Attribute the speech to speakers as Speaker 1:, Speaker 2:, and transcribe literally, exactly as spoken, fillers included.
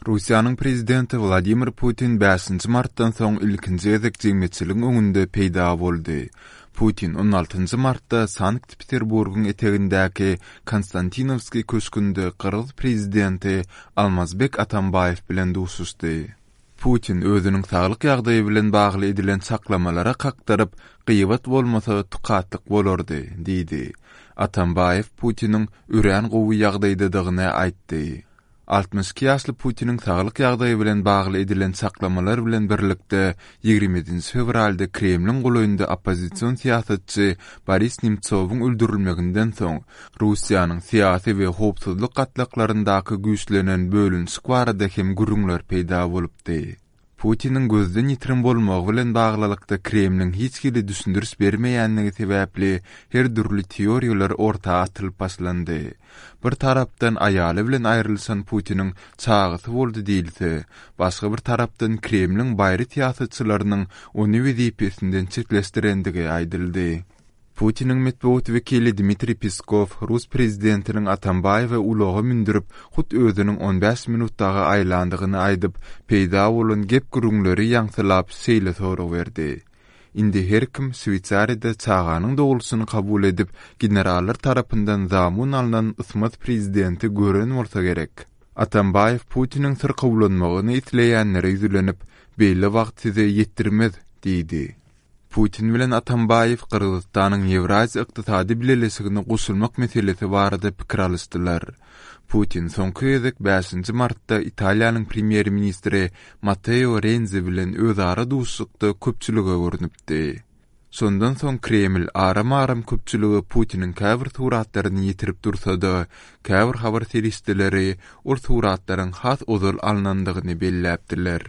Speaker 1: Russiýanyň prezidenti Wladimir Putin bäşinji martdan soň ilkinji gezek jemgyýetçiligiň öňünde peýda boldy. Putin on altynjy martda Sankt-Peterburgyň etegindäki Konstantinowskiý köşgünde gyrgyz prezidenti Almazbek Atambaýew bilen duşuşdy. Putin özüniň saglyk ýagdaýy bilen bagly edilen çaklamalara kakdyryp, gyýbat bolmasa tukatlyk bolardy diýdi. Atambaýew Putiniň örän gowy ýagdaýdadygyny aýtdy. Altmyş iki ýaşly Putiniň saglyk ýagdaýy bilen bagly edilen çaklamalar bilen birlikde ýigrimi ýedinji fewralda Kremliň golaýynda oppozision syýasatçy Boris Nemtsowyň öldürilmeginden soň Russiýanyň syýasy we howpsuzlyk gatlaklaryndaky güýçlenen bölünişik barada hem gürrüňler peýda bolupdy. Putiniň gözden ýitirim bolmagy bilen baglylykda Kremliň hiç hili düşündiriş bermeýänligi sebäpli her dürli teoriýalar orta atylyp başlandy. Bir tarapdan aýaly bilen aýrylyşan Putiniň çagasy boldy diýilse, başga bir tarapdan Kremliň baýry syýasatçylarynyň ony wezipesinden çetleşdirendigi aýdyldy. Putiniň metbugat wekili Dmitriý Peskow rus prezidentiniň Atambaýewi ulaga mündürip, hut özüniň on bäş minut dagy aýlandygyny aýdyp, peýda bolan gep-gürrüňleri ýaňsylap şeýle sorag berdi. Indi her kim Şweýsariýada çaganyň dogulşyny kabul edip, generallar tarapyndan zamun alnan ysmaz prezidenti gören bolsa gerek. Atambaýew Putiniň syrkawlanmagyny isleýänlere ýüzlenip, beýle wagt size ýetdirmez diýdi. Putin bilen Atambaýew Gyrgyzystanyň Ýewraziýa ykdysady bileleşigine goşulmak meselesi barada pikir alyşdylar. Putin soňky gezek bäşinji martda Italiýanyň premýer-ministri Matteo Renzi bilen özara duşuşykda köpçülige görnüpdi. Şondan soň Kreml aram-aram köpçülige Putiniň käbir suratlaryny ýetirip dursa-da, käbir habar serişdeleri ol suratlaryň has ozal alnandygyny belläpdiler.